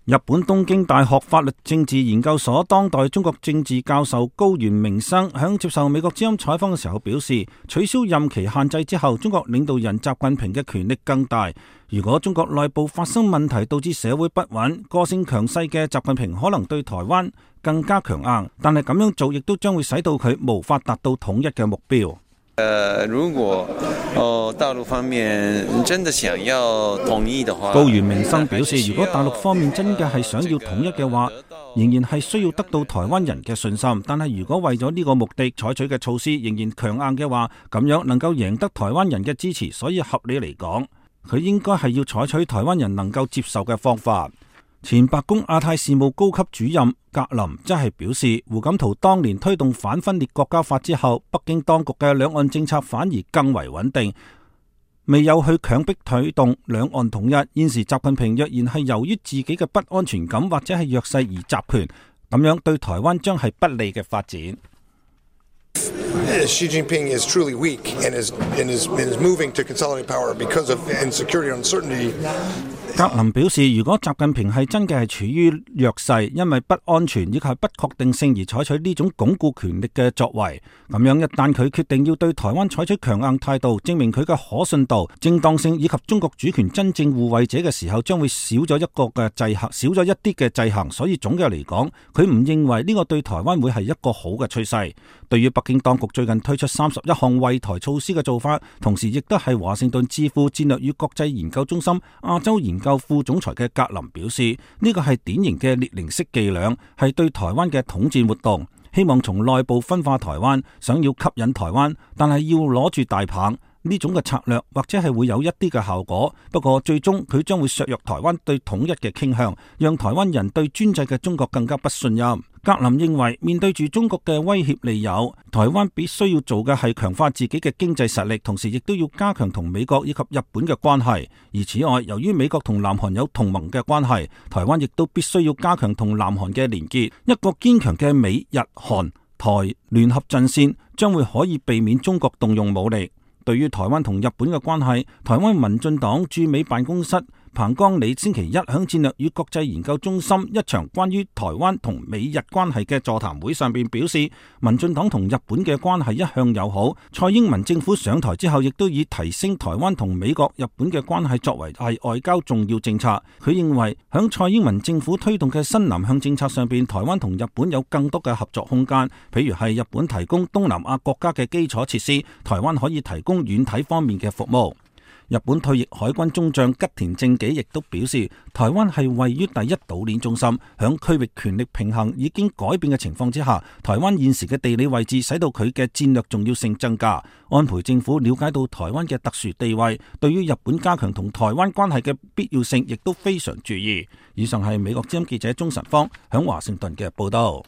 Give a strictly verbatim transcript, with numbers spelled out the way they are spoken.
日本東京大學法律政治研究所當代中國政治教授高原明生響接受美國之音採訪嘅時候表示，取消任期限制之後，中國領導人習近平嘅權力更大。如果中國內部發生問題導致社會不穩，個性強勢嘅習近平可能對台灣更加強硬，但係咁樣做亦都將會使到佢無法達到統一嘅目標。呃，如果哦大陸方面真的想要統一的話，高原明生表示，如果大陸方面真嘅係想要統一嘅話，仍然係需要得到台灣人嘅信心。但係如果為咗呢個目的採取嘅措施仍然強硬嘅話，咁樣能夠贏得台灣人嘅支持，所以合理嚟講，佢應該係要採取台灣人能夠接受嘅方法。前白宮亞太事務高級主任格林則係表示，胡錦濤當年推動反分裂國家法之後，北京當局嘅兩岸政策反而更為穩定，未有去強迫推動兩岸統一。現時習近平若然係由於自己嘅不安全感或者係弱勢而集權，咁樣對台灣將係不利嘅發展。Xi Jinping is truly weak and is, and is, and is moving to consolidate power because of insecurity and uncertainty. 格林表示，如果習近平係真嘅係處於弱勢，因為不安全以及不確定性而採取呢種鞏固權力嘅作為，咁樣一旦佢決定要對台灣採取強硬態度，證明佢嘅可信度、正當性以及中國主權真正護衛者嘅時候，將會少咗一個嘅制衡，少咗一啲嘅制衡。所以總嘅嚟講，佢唔認為呢個對台灣會係一個好嘅趨勢。對於北京當局最近推出三十一項惠台措施嘅做法，同時亦都係華盛頓智庫戰略與國際研究中心亞洲研究副總裁嘅格林表示，呢個係典型嘅列寧式伎倆，係對台灣嘅統戰活動，希望從內部分化台灣，想要吸引台灣，但係要攞住大棒。呢種嘅策略或者係會有一啲嘅效果，不過最終佢將會削弱台灣對統一嘅傾向，讓台灣人對專制嘅中國更加不信任。格林認為，面對住中國嘅威脅利誘，台灣必須要做嘅係強化自己嘅經濟實力，同時亦都要加強同美國以及日本嘅關係。而此外，由於美國同南韓有同盟嘅關係，台灣亦都必須要加強同南韓嘅連結。一個堅強嘅美日韓台聯合陣線將會可以避免中國動用武力。對於台灣同日本嘅關係，台灣民進黨駐美辦公室彭江李星期一響戰略與國際研究中心一場關於台灣同美日關係嘅座談會上邊表示，民進黨同日本嘅關係一向友好。蔡英文政府上台之後，亦都以提升台灣同美國、日本嘅關係作為係外交重要政策。佢認為響蔡英文政府推動嘅新南向政策上邊，台灣同日本有更多嘅合作空間，譬如係日本提供東南亞國家嘅基礎設施，台灣可以提供軟體方面嘅服務。日本退役海軍中將吉田正紀亦都表示，台灣係位於第一島鏈中心，響區域權力平衡已經改變嘅情況之下，台灣現時嘅地理位置使到佢嘅戰略重要性增加。安倍政府了解到台灣嘅特殊地位，對於日本加強同台灣關係嘅必要性亦都非常注意。以上係美國之音記者鍾晨芳響華盛頓嘅報道。